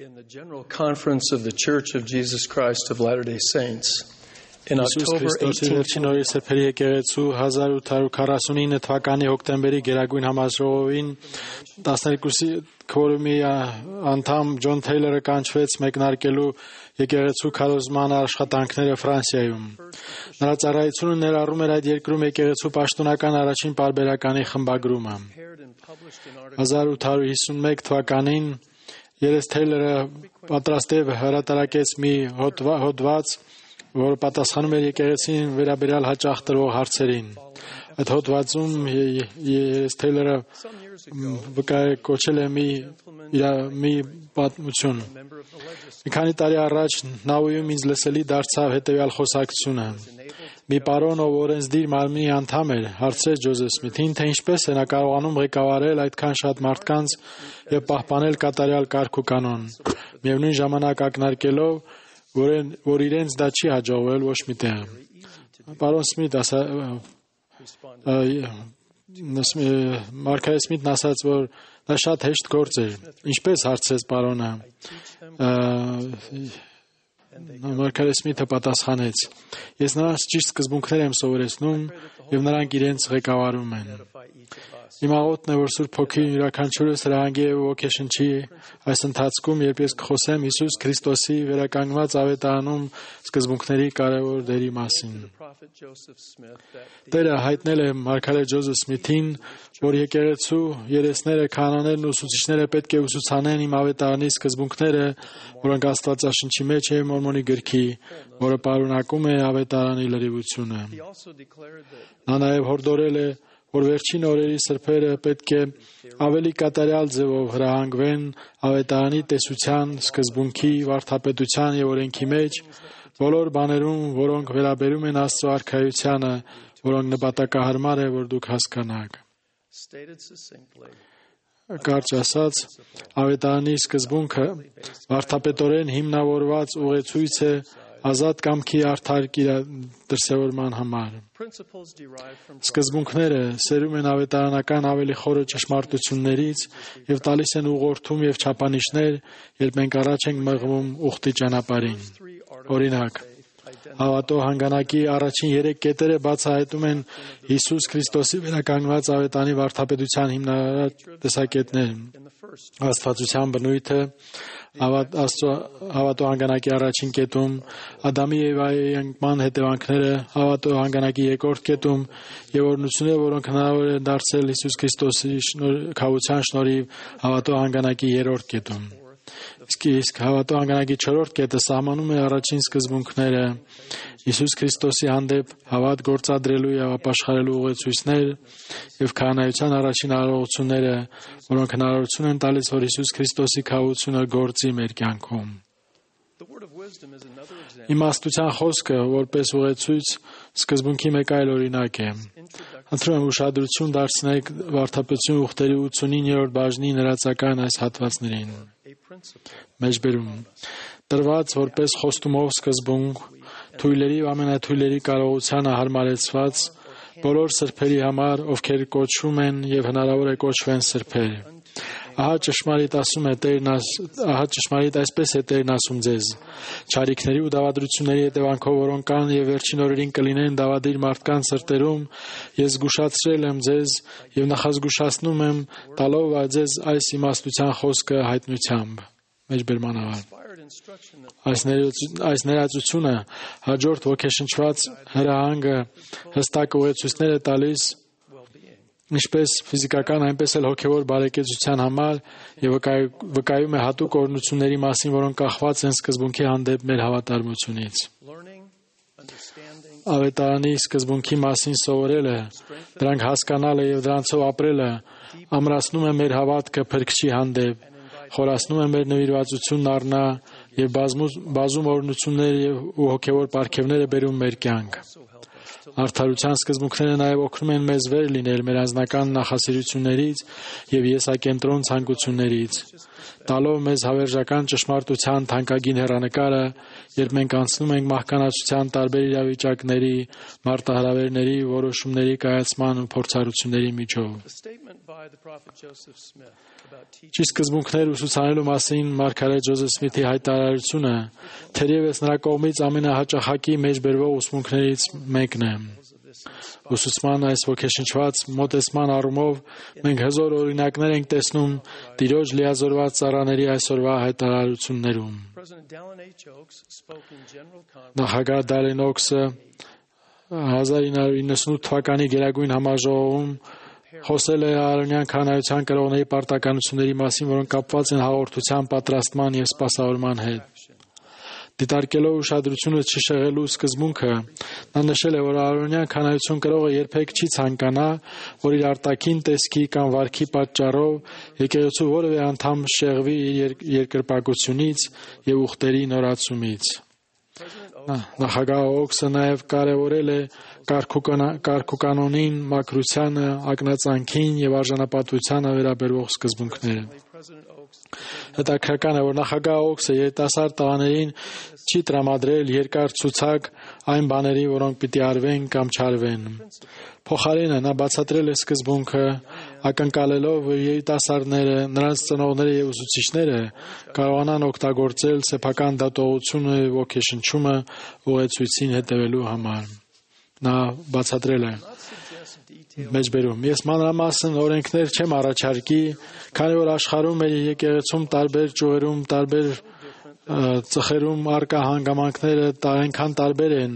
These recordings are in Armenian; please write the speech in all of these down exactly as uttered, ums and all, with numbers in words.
In the General Conference of the Church of Jesus Christ of Latter-day Saints, in October eighteenth հազար ութ հարյուր քառասունինը թվականի հոկտեմբերի գերագույն համաժողովին տասներկուսի քվորումի անդամ Ջոն Թեյլերը կանչվեց մեկնարկելու եկեղեցու քարոզման աշխատանքները Ֆրանսիայում։ Նրա ծառայությունը ներառում էր այդ երկրում եկեղեցու պաշտոնական առաջին պարբերականի խմբագրումը։ հազար ութ հարյուր հիսունմեկ թվականին Երես Թեյլերը պատրաստել հրատարակեց մի հոդված, որը պատասխանում էր եկեղեցին վերաբերյալ հաճախ տրվող հարցերին։ Այդ հոդվածում Երես Թեյլերը կոչել է մի մի պատմություն։ Մի քանի տարի առաջ Նաուիում ինձ լսելի դարձավ հետևյալ խոսակցությունը։ Մի պարոն, ով օրենսդիր մարմնի անդամ էր, հարցրեց Ջոզեֆ Սմիթին, թե ինչպես է նա կարողանում ղեկավարել այդքան շատ մարդկանց եւ պահպանել կատարյալ կարգ ու կանոն, միևնույն ժամանակ ակնարկելով, որ, որ իրենց դա չի հաջողվել ոչ մի տեղ։ Պարոն Սմիթ ասա Մարգարետ Սմիթն ասաց, որ դա շատ հեշտ գործ էր։ Ինչպես հարցրեց պարոնը։ Մարգարետ Սմիթը պատասխանեց. Ես նրանց ճիշտ սկզբունքներ եմ սովորեցնում եւ նրանք իրենց ղեկավարում են։ Իմ աղոթն է, որ Սուրբ Հոգին յուրաքանչյուրս հրահանգի եւ ոգեշնչի այս ընթացքում, երբ ես կխոսեմ Հիսուս Քրիստոսի վերականգնված ավետարանում սկզբունքների կարևոր դերի մասին։ Տերը հայտնել է մարգարետ Ջոզեֆ Սմիթին, որ եկեղեցու երեսները, քահանաներն ու ուսուցիչները պետք է ուսուցանեն իմ ավետարանի սկզբունքները, որոնք Աստվածաշնչի մեջ է Մորմոնի գրքի, որը պարունակում է ավետարանի լրիվությունը։ Նա նաև հորդորել է, որ վերջին օրերի սրբերը պետք է ավելի կատարյալ ձևով հրահանգվեն ավետարանի տեսության, սկզբունքի, վարդապետության եւ օրենքի մեջ, բոլոր բաներում, որոնք վերաբերում են Աստծո արքայությանը, որոնք նպատակահարմար է, որ դուք հասկանաք։ Կարճ ասած, ավետարանի սկզբունքը վարդապետորեն հիմնավորված ուղեցույց է ազատ կամքի արդար դրսևորման համար։ Սկզբունքները սերում են ավետարանական ավելի խորը ճշմարտություններից եւ տալիս են ուղղորդում եւ չափանիշներ, երբ մենք առաջ ենք մղվում ուխտի ճանապարհին։ Օրինակ, հավատո հանգանակի առաջին երեք կետերը բացահայտում են Հիսուս Քրիստոսի վերականգնված ավետարանի վարդապետության հիմնարար տեսակետներ։ Աստվածության բնույթը, հավատո հանգանակի առաջին կետում, Ադամի եւ Եվայի անկման հետևանքները, հավատո հանգանակի երկրորդ կետում եւ օրհնությունները, որոնք հնարավոր են դարձել Հիսուս Քրիստոսի քավության շնորհիվ, հավատո հանգանակի երրորդ կետում։ Իսկ հավատո հանգանակի չորրորդ կետը սահմանում է առաջին սկզբունքները, Հիսուս Քրիստոսի հանդեպ հավատ գործադրելու եւ ապաշխարելու ուղեցույցներ եւ քահանայության առաջին արարողությունները, որոնք հնարավորություն են տալիս, որ Հիսուս Քրիստոսի քավությունը գործի մեր կյանքում։ Իմաստության խոսքը, որպես ուղեցույց, սկզբունքի մեկ այլ օրինակ է։ Խնդրում եմ ուշադրություն դարձնեք վարդապետության ուխտերի ութսունիններորդ բաժնի ներածական այս հատվածներին։ Մեջբերում տրված որպես խոստումով սկզբունք, թույլերի ու ամենաթույլերի կարողությանը հարմարեցված բոլոր սրբերի համար, ովքեր կոչվում են եւ հնարավոր է կոչվեն սրբեր։ Ահա ճշմարիտ ասում է Տերն, ահա ճշմարիտ այսպես է Տերն ասում ձեզ. չարիքների ու դավադրությունների հետևանքով, որոնք կան եւ վերջին օրերին կլինեն դավադիր մարդկանց սրտերում, ես զգուշացրել եմ ձեզ եւ նախազգուշացնում եմ, տալով ձեզ այս իմաստության խոսքը հայտնությամբ։ Մեջբերման ավար։ Այս այս ներածությունը հաջորդ ոգեշնչված հրահանգը հստակ ուղեցույցներ է տալիս ինչպես ֆիզիկական, այնպես էլ հոգևոր բարեկեցության համար եւ վկայում է հատուկ օրհնությունների մասին, որոնք կախված են սկզբունքի հանդեպ մեր հավատարմությունից։ Ավետարանի սկզբունքի մասին սովորելը, դրանք հասկանալը եւ դրանցով ապրելը ամրացնում է մեր հավատքը Փրկչի հանդեպ, խորացնում է մեր նվիրվածությունն առնա եւ բազում օրհնություններ եւ ու հոգևոր պարգևներ է բերում մեր կյանք։ Արդարության սկզբունքները նաև օգնում են մեզ վեր լինել մեր անձնական նախասիրություններից և եսակենտրոն ցանկություններից, տալով մեզ հավերժական ճշմարտության թանկագին հեռանկարը, երբ մենք անցնում ենք մահկանացության տարբեր իրավիճակների, մարտահրավերների, որոշումների կայացման ու փորձառությունների միջով։ Ճիշտ սկզբունքներ ուսուցանելու մասին մարգարետ Ջոզեֆ Սմիթի հայտարարությունը թերևս նրա կողմից ամենահաճախակի մեջ բերվող ուսմունքներից մեկն է։ Ուսուցման այս ոգեշնչված մոտեցման առումով մենք հզոր օրինակներ ենք տեսնում Տիրոջ լիազորված ծառաների այսօրվա հայտարարություններում։ Նախագահ Դալեն Օքսը հազար ինը հարյուր իննսունութ թվականի Գերագույն համաժողովում խոսել է արոնյան քահանայության կրողների պարտականությունների մասին, որոնք կապված են հաղորդության պատրաստման և սպասավորման հետ։ Դիտարկելով ուշադրությունը չշեղելու սկզբունքը, նա նշել է, որ արոնյան քահանայություն կրողը երբեք չի ցանկանա, որ իր արտաքին տեսքի կամ վարքի պատճառով եկեղեցու որևէ անդամ շեղվի իր երկրպագությունից և ուխտերի նորացումից։ Նախագահ Օքսը նաև կարևորել է կարգուկանոնին, մաքրությանը, ակնածանքին և արժանապատվությանը վերաբերող սկզբունքները։ Հետաքրքրական է, որ նախագահ Օքսը երիտասարդ տղաներին չի տրամադրել երկար ցուցակ այն բաների, որոնք պիտի արվեն կամ չարվեն։ Փոխարենը նա բացատրել է սկզբունքը, ակնկալելով, որ երիտասարդները, նրանց ծնողները և ուսուցիչները կարողանան օգտագործել սեփական դատողությունը և ոգեշնչումը ուղեցույցին հետևելու համար։ Նա բացատրել է. Մեջբերում ես մանրամասն օրենքներ չեմ առաջարկի, քանի որ աշխարհում մեր եկեղեցում տարբեր ճյուղերում, տարբեր ծխերում առկա հանգամանքները այնքան տարբեր են,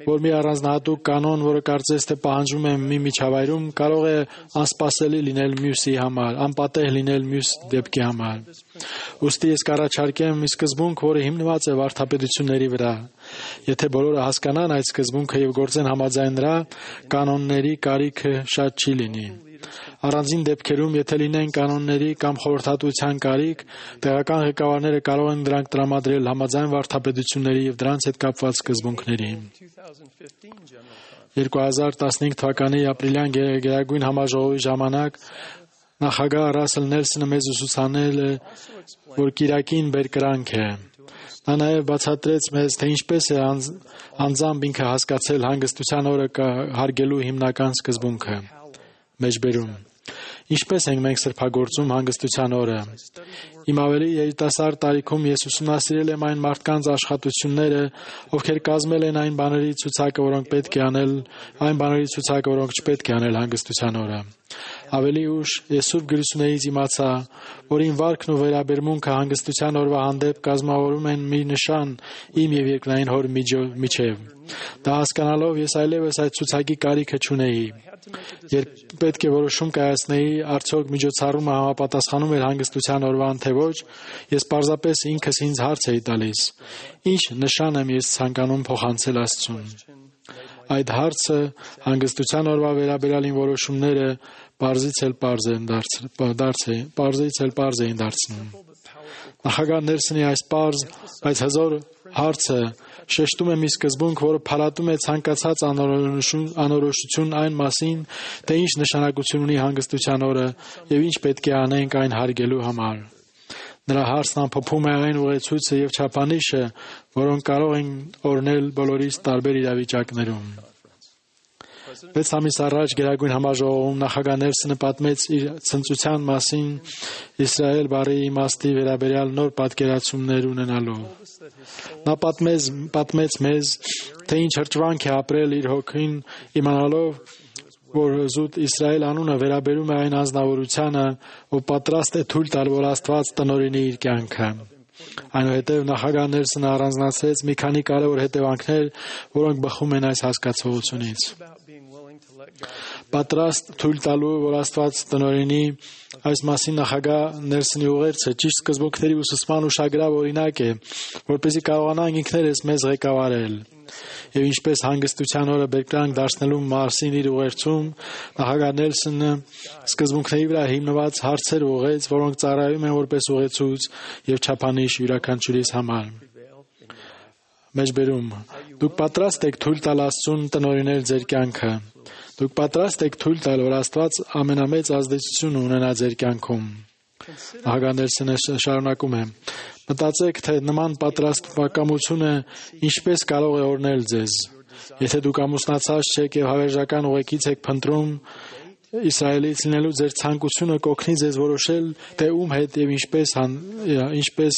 որ մի առանձնահատուկ կանոն, որը կարծես թե պահանջվում է մի միջավայրում, կարող է անսպասելի լինել մյուսի համար, անպատեհ լինել մյուս դեպքի համար։ Ուստի ես կառաջարկեմ մի սկզբունք, որը հիմնված է վարդապետությունների վրա։ Եթե բոլորը հասկանան այդ սկզբունքը և գործեն համաձայն դրա, կանոնների կարիքը շատ չի լինի։ Առանձին դեպքերում, եթե լինեն կանոնների կամ խորհրդատվության կարիք, տեղական ղեկավարները կարող են դրանք տրամադրել համաձայն վարդապետությունների և դրանց հետ կապված սկզբունքների։ երկու հազար տասնհինգ թվականի ապրիլյան Գերագույն համաժողովի ժամանակ նախագահ Ռասել Նելսոնը մեզ ուսուցանել է, որ կիրակին բերկրանք է։ Նա նաև բացատրեց մեզ, թե ինչպես է անձամբ ինքը հասկացել հանգստության օրը հարգելու հիմնական սկզբունքը։ Մեջբերում Ինչպես ենք մենք սրբագործում հանգստության օրը։ Իմ ավելի երիտասարդ տարիքում ես ուսումնասիրել եմ այն մարդկանց աշխատությունները, ովքեր կազմել են այն բաների ցուցակը, որոնք պետք է անել, այն բաների ցուցակը, որոնք չպետք է անել հանգստության օրը։ Ավելի ուշ ես Սուրբ Գրություններից իմացա, որ իմ վարքն ու վերաբերմունքը հանգստության օրվա հանդեպ կազմավորում են մի նշան իմ և երկնային Հոր միջև։ Դա հասկանալով ես այլևս այդ ցուցակի կարիքը չունեի։ Երբ պետք է որոշում կայացնեի, արդյոք միջոցառումը համապատասխանում էր հանգստության օրվան թե ոչ, ես պարզապես ինքս ինձ հարց էի տալիս. ինչ նշան եմ ես ցանկանում փոխանցել Աստծուն։ Այդ հարցը հանգստության օրվա վերաբերյալ իմ որոշումները պարզից էլ պարզ են դարձել, պարզից էլ պարզ էին դարձնում։ Նախագահ Նելսոնի այս պարզ, բայց հզոր հարցը շեշտում է մի սկզբունք, որը փարատում է ցանկացած անորոշություն այն մասին, թե ինչ նշանակություն ունի հանգստության օրը և ինչ պետք է անենք այն հարգելու համար։ Նրա հարցն ամփոփում է այն ուղեցույցը և չափանիշը, որոնք կարող են օրհնել բոլորիս տարբեր իրավիճակներում։ Վեց ամիս առաջ Գերագույն համաժողովում նախագահ Նելսոնը պատմեց իր ցնծության մասին Իսրայել բառի իմաստի վերաբերյալ նոր պատկերացումներ ունենալով։ Նա պատմեց, պատմեց մեզ, թե ինչ հրճվանք է ապրել իր հոգին, իմանալով, որ զուտ Իսրայել անունը վերաբերում է այն անձնավորությանը, ով պատրաստ է թույլ տալ, որ Աստված տնօրինի իր կյանքը։ Այնուհետև նախագահ Նելսոնը առանձնացրեց մի քանի կարևոր հետևանքներ, որոնք բխում են այս հասկացությունից։ Պատրաստ թույլ տալու, որ Աստված տնօրինի, այս մասին նախագահ Նելսոնի ուղերձը ճիշտ սկզբունքների ուսուցման ուշագրավ օրինակ է, որպեսզի կարողանանք ինքներս մեզ ղեկավարել։ Եվ ինչպես հանգստության օրը բերկրանք դարձնելու մասին իր ուղերձում նախագահ Նելսոնը սկզբունքների վրա հիմնված հարցեր ուղղեց, որոնք ծառայում են որպես ուղեցույց և չափանիշ յուրաքանչյուրիս համար։ Մեջբերում դուք պատրաստ եք թույլ տալ Աստծուն տնօրինել ձեր կյանքը։ Դուք պատրաստ եք թույլ տալ, որ Աստված ամենամեծ ազդեցություն ունենա ձեր կյանքում։ Ահագանելսինը շարունակում է. Մտածեք, թե նման պատրաստվածությունը ինչպես կարող է օրհնել ձեզ։ Եթե դուք ամուսնացած չեք եւ հավերժական ուղեկից եք փնտրում, Իսրայելից լինելու ձեր ցանկությունը կօգնի ձեզ որոշել, թե ում հետ եւ ինչպես ինչպես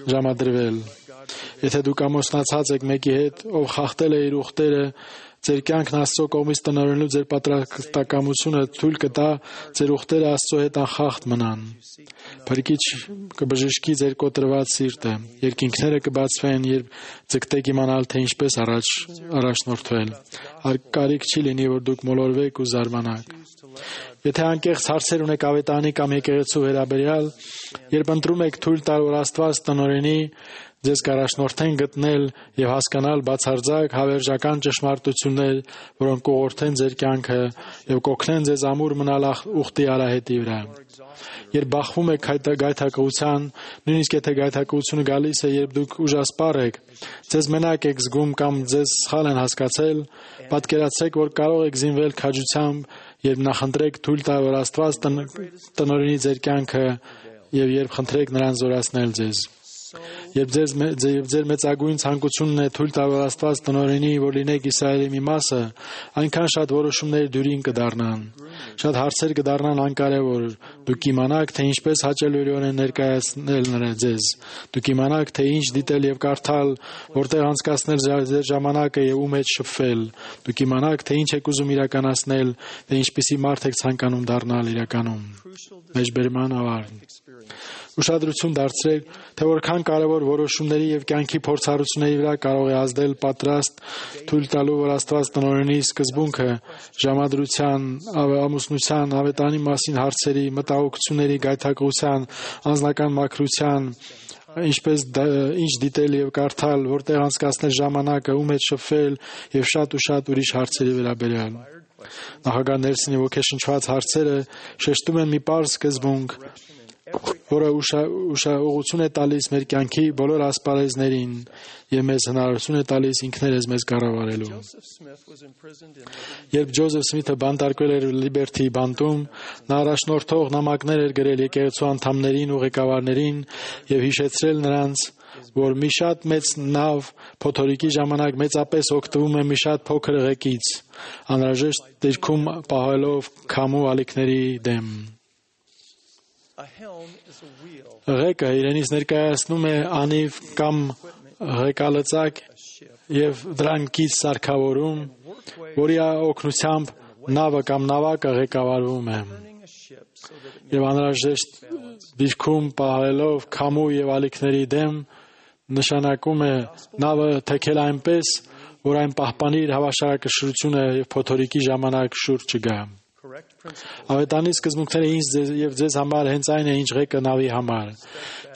ժամադրվել։ Եթե դուք ամուսնացած եք մեկի հետ, ով խախտել է իր ուխտերը, ձեր կյանքն Աստծո կողմից տնօրինելու ձեր պատրաստակամությունը թույլ կտա ձեր ուխտերը Աստծո հետ անխախտ մնան։ Փրկիչ կբժշկի ձեր կոտրված սիրտը, երկինքները կբացվեն, երբ ձգտեք իմանալ, թե ինչպես առաջ առաջնորդվել։ Կարիք չի լինի, որ դուք մոլորվեք ու զարմանաք։ Եթե անկեղծ հարցեր ունեք ավետարանի կամ եկեղեցու վերաբերյալ, երբ ընտրում եք թույլ տալ, որ Աստված տնօրինի, ձեզ կառաջնորդեն գտնել եւ հասկանալ բացարձակ հավերժական ճշմարտություններ, որոնք կուղղորդեն ձեր կյանքը եւ կօգնեն ձեզ ամուր մնալ ուխտի արահետի վրա։ Երբ բախվում եք գայթակղության, նույնիսկ եթե գայթակղությունը գալիս է, երբ դուք ուժասպառ եք, ձեզ մենակ եք զգում կամ ձեզ սխալ են հասկացել, պատկերացրեք, որ կարող եք զինվել քաջությամբ, երբ նախընտրեք թույլ տալ, որ Աստված տնօրինի ձեր կյանքը եւ երբ խնդրեք նրան զորացնել ձեզ։ Երբ ձեզ եւ ձեր մեծագույն ցանկությունն է թույլ տալ, որ Աստված տնօրինի, որ լինեք Իսրայելի մի մասը, այնքան շատ որոշումներ դյուրին կդառնան։ Շատ հարցեր կդառնան անկարևոր։ Դուք իմանաք, թե ինչպես հաճելիորեն ներկայացնել նրա ձեզ։ Դուք իմանաք, թե ինչ դիտել եւ կարդալ, որտեղ անցկացնել ձեր ժամանակը եւ ում հետ շփվել։ Դուք իմանաք, թե ինչ եք ուզում իրականացնել, թե ինչպիսի մարդ եք ցանկանում դառնալ իրականում։ Մեջբերման ավարտ։ Ուշադրություն դարձրեք, թե որքան կարևոր որոշումների եւ կյանքի փորձառությունների վրա կարող է ազդել պատրաստ թույլ տալու, որ Աստված տնօրինի սկզբունքը ժամադրության, ամուսնության, ավետարանի մասին հարցերի, մտահոգությունների, գայթակղության, անձնական մաքրության, ինչպես ինչ դիտել եւ կարդալ, որտեղ անցկացնել ժամանակը, ում հետ շփվել եւ շատ ու շատ ուրիշ հարցերի վերաբերյալ։ Նախագահ Նելսոնի ոգեշնչված հարցերը շեշտում են մի պարզ սկզբունք, որը ուշադրություն է տալիս մեր կյանքի բոլոր ասպարեզներին եւ մեզ հնարավորություն է տալիս ինքներս մեզ կառավարելու։ Երբ Ջոզեֆ Սմիթը բանտարկվել էր Լիբերթի բանտում, նա առաջնորդող նամակներ էր գրել եկեղեցու անդամներին ու ղեկավարներին եւ հիշեցրել նրանց, որ մի շատ մեծ նավ փոթորիկի ժամանակ մեծապես օգտվում է մի շատ փոքր ղեկից, անհրաժեշտ դիրքում պահելով քամու ալիքների դեմ։ Ղեկը իրենից ներկայացնում է անիվ կամ ղեկալծակ եւ դրանքից սարքավորում, որի օգնությամբ նավը կամ նավակը ղեկավարվում է։ Եվ անհրաժեշտ դիրքում պահելով քամու եւ ալիքների դեմ նշանակում է նավը թեքել այնպես, որ այն պահպանի իր հավասարակշռությունը եւ փոթորիկի ժամանակ շուրջ չգա։ Ավետարանի սկզբունքները ինձ եւ ձեզ համար հենց այն է, ինչ ղեկը նավի համար։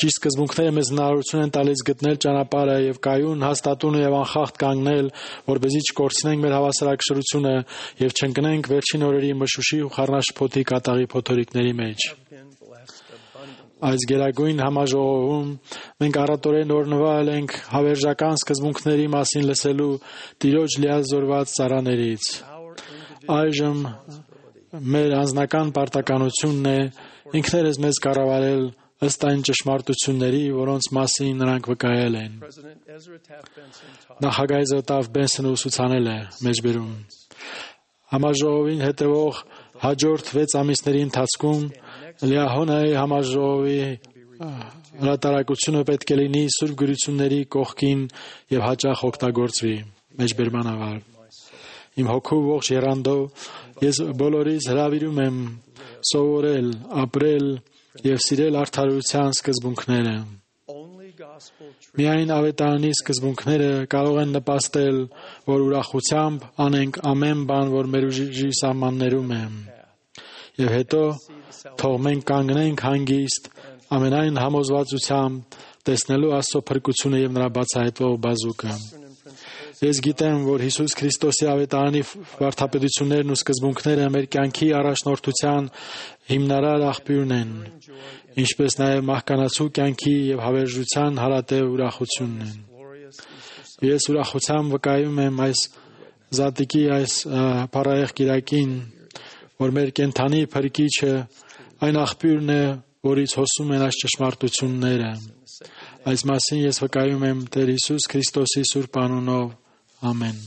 Ճիշտ սկզբունքները մեզ հնարավորություն են տալիս գտնել ճանապարհը եւ կայուն, հաստատուն եւ անխախտ կանգնել, որպեսզի չկորցնենք մեր հավասարակշռությունը եւ չընկնենք վերջին օրերի մշուշի ու խառնաշփոթի կատաղի փոթորիկների մեջ։ Այս գերագույն համաժողովում մենք առատորեն օրհնվել ենք հավերժական սկզբունքների մասին լսելու Տիրոջ լիազորված ծառաներից։ Այժմ մեր անձնական պարտականությունն է ինքներս մեզ կառավարել ըստ այն ճշմարտությունների, որոնց մասին նրանք վկայել են։ Նախագահ Էզրա Բենսոնը ուսուցանել է մեջբերում։ Համաժողովին հետևող հաջորդ վեց ամիսների ընթացքում Լիահոնայի համաժողովի հրատարակությունը պետք է լինի սուրբ գրությունների կողքին եւ հաճախ օգտագործվի։ Մեջբերման ավար։ Իմ հոգու ողջ եռանդով ես բոլորիս հրավիրում եմ սովորել, ապրել եւ սիրել արդարության սկզբունքները։ Միայն ավետարանի սկզբունքները կարող են նպաստել, որ ուրախությամբ անենք ամեն բան, որ մեր ուժի սահմաններում է։ Եվ հետո թող մենք կանգնենք հանգիստ ամենայն համոզվածությամբ տեսնելու Աստծո փրկությունը եւ նրա բացահայտվող բազուկը։ Ես գիտեմ, որ Հիսուս Քրիստոսի ավետարանի վարդապետություններն ու սկզբունքները մեր կյանքի առաջնորդության հիմնարար աղբյուրն են, ինչպես նաև մահկանացու կյանքի եւ հավերժության հարատև ուրախությունն են։ Ես ուրախությամբ վկայում եմ այս զատիկի այս փառահեղ կիրակին, որ մեր կենթանի փրկիչը այն աղբյուրն է, որից հոսում են այս ճշմարտությունները։ Այս մասին ես վկայում եմ Տեր Հիսուս Քրիստոսի սուրբ անունով։ Ամեն։